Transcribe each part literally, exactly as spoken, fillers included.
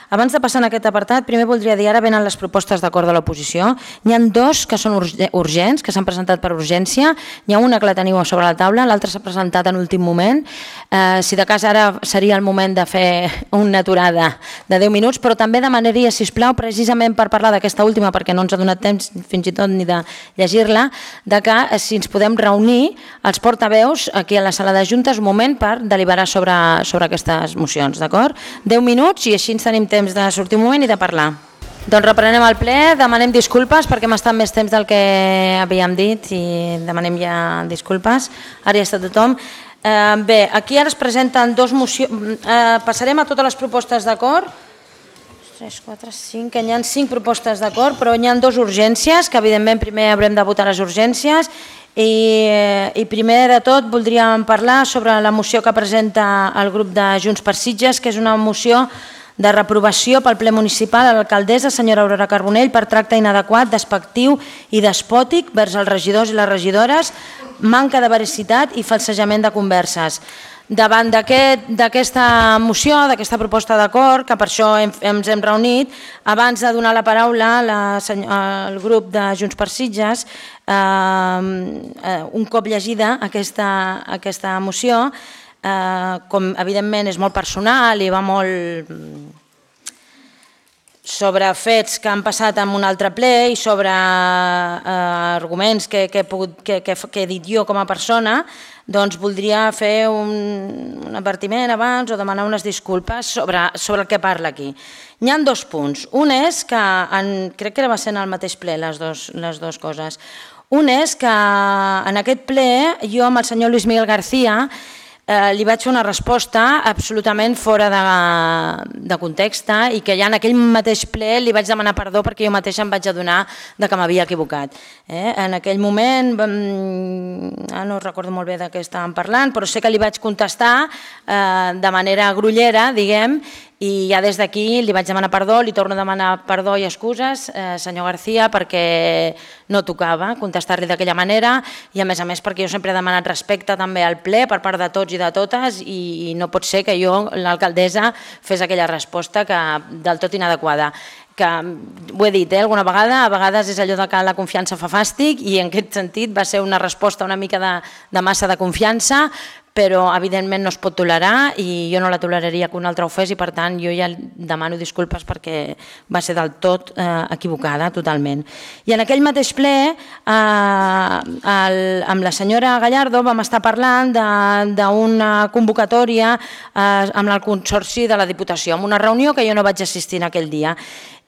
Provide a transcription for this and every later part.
Abans de passar en aquest apartat, primer voldria dir, ara venen les propostes d'acord de l'oposició. N'hi ha dos que són urgents, que s'han presentat per urgència. N'hi ha una que la teniu sobre la taula, l'altra s'ha presentat en últim moment. Eh, si de cas ara seria el moment de fer una aturada de deu minuts, però també demanaria, sisplau, precisament per parlar d'aquesta última, perquè no ens ha donat temps fins i tot ni de llegir-la, de que si ens podem reunir els portaveus aquí a la sala de juntes un moment per deliberar sobre, sobre aquestes mocions, d'acord? deu minuts i així ens tenim temps de sortir un moment i de parlar. Doncs reprenem el ple, demanem disculpes perquè hem estat més temps del que havíem dit i demanem ja disculpes. Ara ja està tothom. Eh, bé, aquí ara es presenten dos mocions. Eh, passarem a totes les propostes d'acord. tres, quatre, cinc, que hi ha cinc propostes d'acord, però hi ha dues urgències, que evidentment primer haurem de votar les urgències. I, I primer de tot voldríem parlar sobre la moció que presenta el grup de Junts per Sitges, que és una moció de reprovació pel ple municipal a l'alcaldessa, senyora Aurora Carbonell, per tracte inadequat, despectiu i despòtic vers els regidors i les regidores, manca de veracitat i falsejament de converses. Davant d'aquesta moció, d'aquesta proposta d'acord, que per això ens hem reunit, abans de donar la paraula al grup de Junts per Sitges, un cop llegida aquesta moció, com evidentment és molt personal i va molt sobre fets que han passat en un altre ple i sobre arguments que he dit jo com a persona, doncs voldria fer un advertiment abans o demanar unes disculpes sobre el que parla aquí. Hi ha dos punts. Un és que, crec que va ser en el mateix ple les dues coses. Un és que en aquest ple jo amb el senyor Luis Miguel García li vaig fer una resposta absolutament fora de context i que ja en aquell mateix ple li vaig demanar perdó perquè jo mateixa em vaig adonar que m'havia equivocat. En aquell moment, no recordo molt bé de què estàvem parlant, però sé que li vaig contestar de manera grollera, diguem, i ja des d'aquí li vaig demanar perdó, li torno a demanar perdó i excuses, senyor García, perquè no tocava contestar-li d'aquella manera i a més a més perquè jo sempre he demanat respecte també al ple per part de tots i de totes i no pot ser que jo, l'alcaldessa, fes aquella resposta del tot inadequada. Que ho he dit alguna vegada, a vegades és allò que la confiança fa fàstic i en aquest sentit va ser una resposta una mica de massa de confiança, però evidentment no es pot tolerar i jo no la toleraria que un altre ho fes i per tant jo ja demano disculpes perquè va ser del tot equivocada totalment. I en aquell mateix ple amb la senyora Gallardo vam estar parlant d'una convocatòria amb el Consorci de la Diputació, en una reunió que jo no vaig assistir en aquell dia.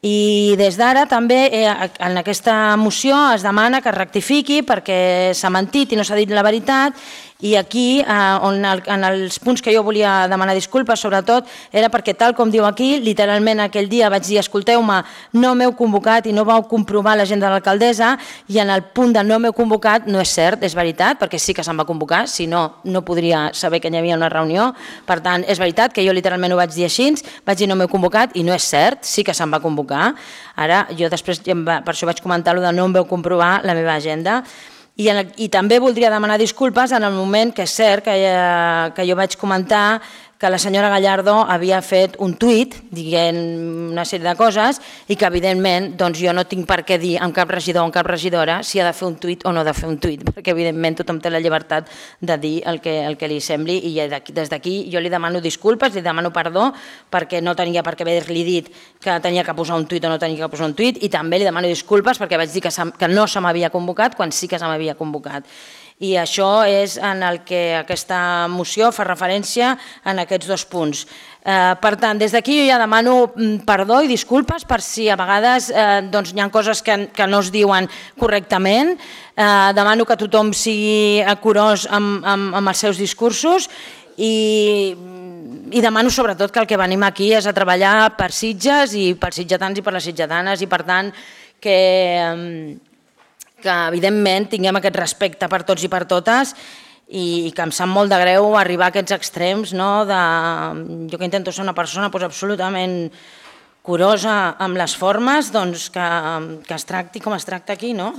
I des d'ara també en aquesta moció es demana que es rectifiqui perquè s'ha mentit i no s'ha dit la veritat i aquí en els punts que jo volia demanar disculpes sobretot era perquè tal com diu aquí, literalment aquell dia vaig dir escolteu-me, no m'heu convocat i no vau comprovar l'agenda de l'alcaldessa i en el punt de no m'heu convocat no és cert, és veritat, perquè sí que se'm va convocar, si no, no podria saber que hi havia una reunió, per tant és veritat que jo literalment ho vaig dir així, vaig dir no m'heu convocat i no és cert, sí que se'm va convocar. Ara, jo després, per això vaig comentar allò de no em veu comprovar la meva agenda i també voldria demanar disculpes en el moment que és cert que jo vaig comentar que la senyora Gallardo havia fet un tuit dient una sèrie de coses i que evidentment jo no tinc per què dir amb cap regidor o amb cap regidora si ha de fer un tuit o no ha de fer un tuit, perquè evidentment tothom té la llibertat de dir el que li sembli i des d'aquí jo li demano disculpes, li demano perdó perquè no tenia per què haver-li dit que tenia que posar un tuit o no tenia que posar un tuit i també li demano disculpes perquè vaig dir que no se m'havia convocat quan sí que se m'havia convocat. I això és en el que aquesta moció fa referència en aquests dos punts. Per tant, des d'aquí jo ja demano perdó i disculpes per si a vegades hi ha coses que no es diuen correctament. Demano que tothom sigui curós amb els seus discursos i demano sobretot que el que venim aquí és a treballar per Sitges i pels sitgetans i per les sitgetanes i per tant que que evidentment tinguem aquest respecte per tots i per totes i que em sap molt de greu arribar a aquests extrems. Jo que intento ser una persona absolutament curosa amb les formes, que es tracti com es tracta aquí, no?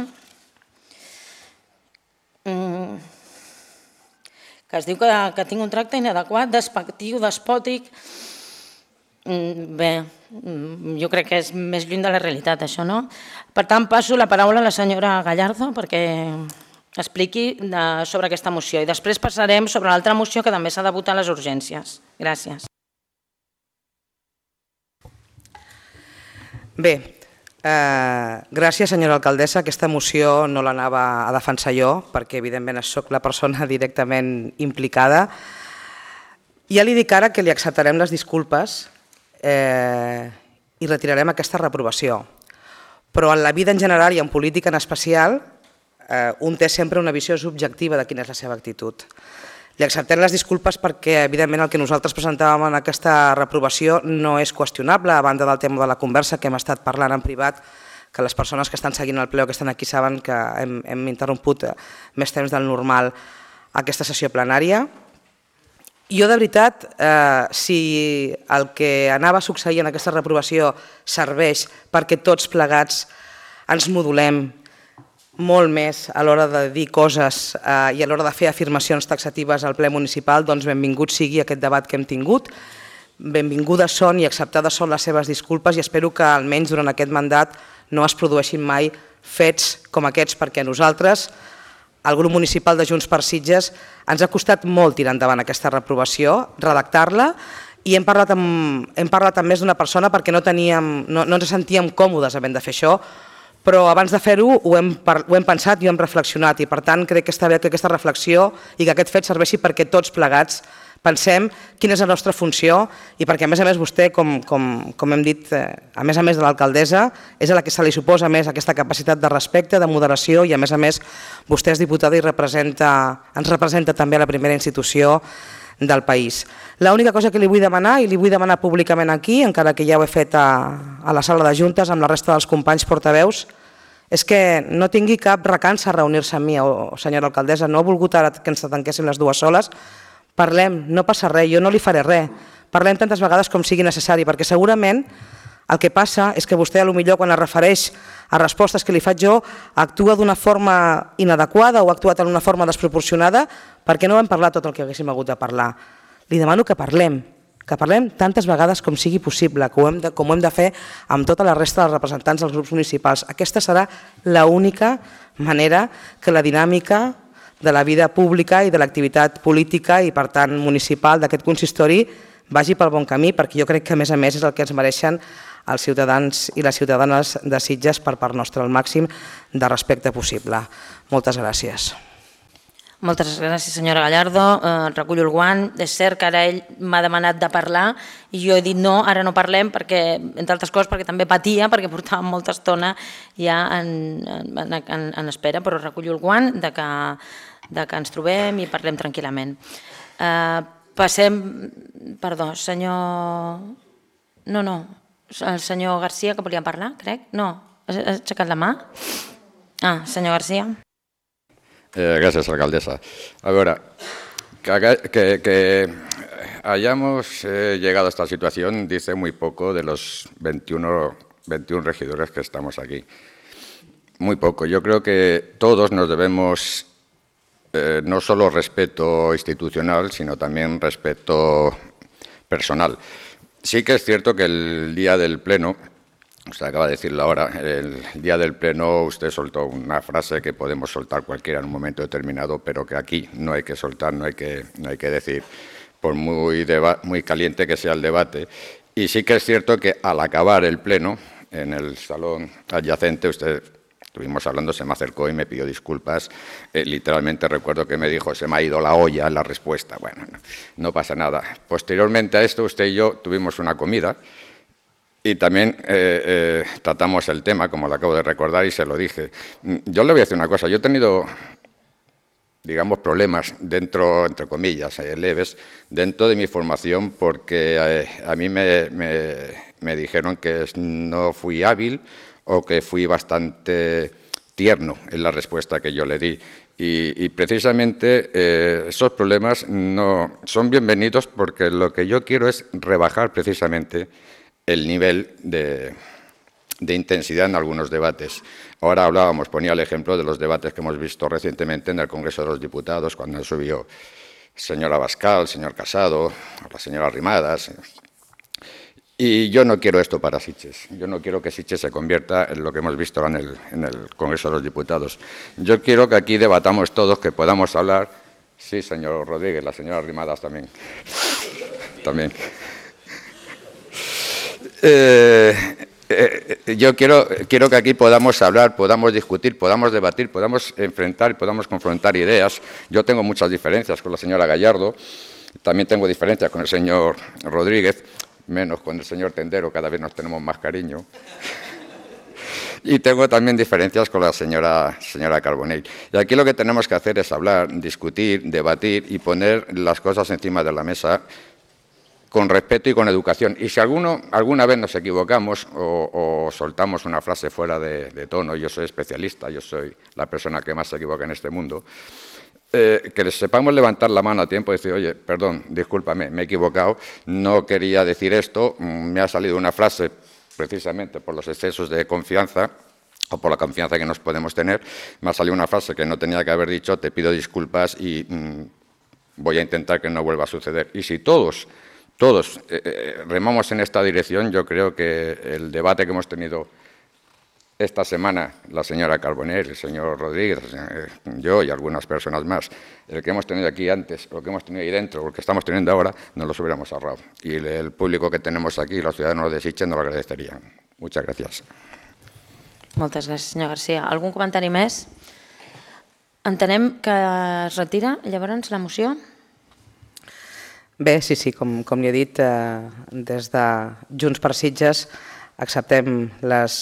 Que es diu que tinc un tracte inadequat, despectiu, despòtic. Bé, Jo crec que és més lluny de la realitat, això, no? Per tant, passo la paraula a la senyora Gallardo perquè expliqui sobre aquesta moció i després passarem sobre l'altra moció que també s'ha de votar a les urgències. Gràcies. Bé, gràcies, senyora alcaldessa. Aquesta moció no l'anava a defensar jo perquè, evidentment, soc la persona directament implicada. Ja li dic ara que li acceptarem les disculpes i retirarem aquesta reprovació. Però en la vida en general i en política en especial, un té sempre una visió subjectiva de quina és la seva actitud. Li acceptem les disculpes perquè, evidentment, el que nosaltres presentàvem en aquesta reprovació no és qüestionable, a banda del tema de la conversa que hem estat parlant en privat, que les persones que estan seguint el ple o que estan aquí saben que hem interromput més temps del normal aquesta sessió plenària. Jo, de veritat, si el que anava a succeir en aquesta reprovació serveix perquè tots plegats ens modulem molt més a l'hora de dir coses i a l'hora de fer afirmacions taxatives al ple municipal, doncs benvingut sigui aquest debat que hem tingut, benvingudes són i acceptades són les seves disculpes i espero que almenys durant aquest mandat no es produeixin mai fets com aquests, perquè nosaltres, el grup municipal de Junts per Sitges, ens ha costat molt tirar endavant aquesta reprovació, redactar-la, i hem parlat amb més d'una persona perquè no ens sentíem còmodes havent de fer això, però abans de fer-ho ho hem pensat i ho hem reflexionat, i per tant crec que està bé que aquesta reflexió i que aquest fet serveixi perquè tots plegats pensem quina és la nostra funció i perquè, a més a més, vostè, com hem dit, a més a més de l'alcaldessa, és a la que se li suposa més aquesta capacitat de respecte, de moderació i, a més a més, vostè és diputada i ens representa també a la primera institució del país. L'única cosa que li vull demanar, i li vull demanar públicament aquí, encara que ja ho he fet a la sala de juntes amb la resta dels companys portaveus, és que no tingui cap recança a reunir-se amb mi, senyora alcaldessa. No he volgut ara que ens tanquéssim les dues soles. Parlem, no passa res, jo no li faré res. Parlem tantes vegades com sigui necessari, perquè segurament el que passa és que vostè potser quan es refereix a respostes que li faig jo actua d'una forma inadequada o ha actuat d'una forma desproporcionada perquè no vam parlar tot el que haguéssim hagut de parlar. Li demano que parlem, que parlem tantes vegades com sigui possible, com ho hem de fer amb tota la resta dels representants dels grups municipals. Aquesta serà l'única manera que la dinàmica de la vida pública i de l'activitat política i, per tant, municipal d'aquest consistori vagi pel bon camí, perquè jo crec que, a més a més, és el que ens mereixen els ciutadans i les ciutadanes de Sitges per part nostra, el màxim de respecte possible. Moltes gràcies. Moltes gràcies, senyora Gallardo. Recullo el guant. És cert que ara ell m'ha demanat de parlar i jo he dit no, ara no parlem, perquè, entre altres coses, perquè també patia, perquè portàvem molta estona ja en espera, però recullo el guant de que de que ens trobem i parlem tranquil·lament. Passem... Perdó, senyor... No, no, el senyor Garcia, que volia parlar, crec? No, has aixecat la mà? Ah, senyor Garcia. Gracias, alcaldesa. A ver, que, que hayamos eh, llegado a esta situación dice muy poco de los veintiuno regidores que estamos aquí. Muy poco. Yo creo que todos nos debemos... Eh, no solo respeto institucional, sino también respeto personal. Sí que es cierto que el día del pleno, usted acaba de decirlo ahora, el día del pleno usted soltó una frase que podemos soltar cualquiera en un momento determinado, pero que aquí no hay que soltar, no hay que, no hay que decir, por muy, muy caliente que sea el debate. Y sí que es cierto que al acabar el pleno, en el salón adyacente, usted... Estuvimos hablando, se me acercó y me pidió disculpas. Eh, literalmente recuerdo que me dijo, se me ha ido la olla en la respuesta. Bueno, no, no pasa nada. Posteriormente a esto, usted y yo tuvimos una comida y también eh, eh, tratamos el tema, como lo acabo de recordar, y se lo dije. Yo le voy a decir una cosa. Yo he tenido, digamos, problemas dentro, entre comillas, eh, leves, dentro de mi formación porque eh, a mí me, me, me dijeron que no fui hábil o que fui bastante tierno en la respuesta que yo le di. Y, y precisamente eh, esos problemas no son bienvenidos porque lo que yo quiero es rebajar precisamente el nivel de, de intensidad en algunos debates. Ahora hablábamos, ponía el ejemplo de los debates que hemos visto recientemente en el Congreso de los Diputados, cuando subió el señor Abascal, el señor Casado, la señora Rimadas. Y yo no quiero esto para Sitges. Yo no quiero que Sitges se convierta en lo que hemos visto en el, en el Congreso de los Diputados. Yo quiero que aquí debatamos todos, que podamos hablar. Sí, señor Rodríguez, la señora Rimadas también. También. Eh, eh, yo quiero, quiero que aquí podamos hablar, podamos discutir, podamos debatir, podamos enfrentar, podamos confrontar ideas. Yo tengo muchas diferencias con la señora Gallardo, también tengo diferencias con el señor Rodríguez, menos con el señor Tendero, cada vez nos tenemos más cariño. Y tengo también diferencias con la señora, señora Carbonell. Y aquí lo que tenemos que hacer es hablar, discutir, debatir y poner las cosas encima de la mesa con respeto y con educación. Y si alguno, alguna vez nos equivocamos o, o soltamos una frase fuera de, de tono, yo soy especialista, yo soy la persona que más se equivoca en este mundo, Eh, que sepamos levantar la mano a tiempo y decir, oye, perdón, discúlpame, me he equivocado, no quería decir esto, me ha salido una frase precisamente por los excesos de confianza o por la confianza que nos podemos tener, me ha salido una frase que no tenía que haber dicho, te pido disculpas y mmm, voy a intentar que no vuelva a suceder. Y si todos, todos eh, remamos en esta dirección, yo creo que el debate que hemos tenido esta semana, la señora Carbonell, el señor Rodríguez, yo y algunas personas más, el que hemos tenido aquí antes, lo que hemos tenido ahí dentro, lo que estamos teniendo ahora, nos los hubiéramos ahorrado. Y el público que tenemos aquí, los ciudadanos de Sitges, nos lo agradecerían. Muchas gràcies. Moltes gràcies, senyor Garcia. Algun comentari més? Entenem que es retira, llavors, la moció? Bé, sí, sí, com, com li he dit, eh, des de Junts per Sitges acceptem les...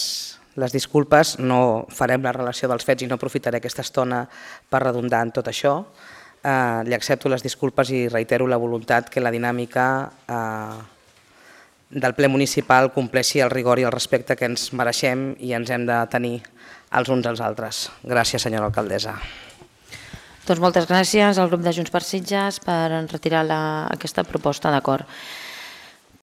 les disculpes, no farem la relació dels fets i no aprofitaré aquesta estona per redundar en tot això. Eh, li accepto les disculpes i reitero la voluntat que la dinàmica eh, del ple municipal compleixi el rigor i el respecte que ens mereixem i ens hem de tenir els uns als altres. Gràcies, senyora alcaldessa. Doncs moltes gràcies al grup de Junts per Sitges per retirar la, aquesta proposta d'acord.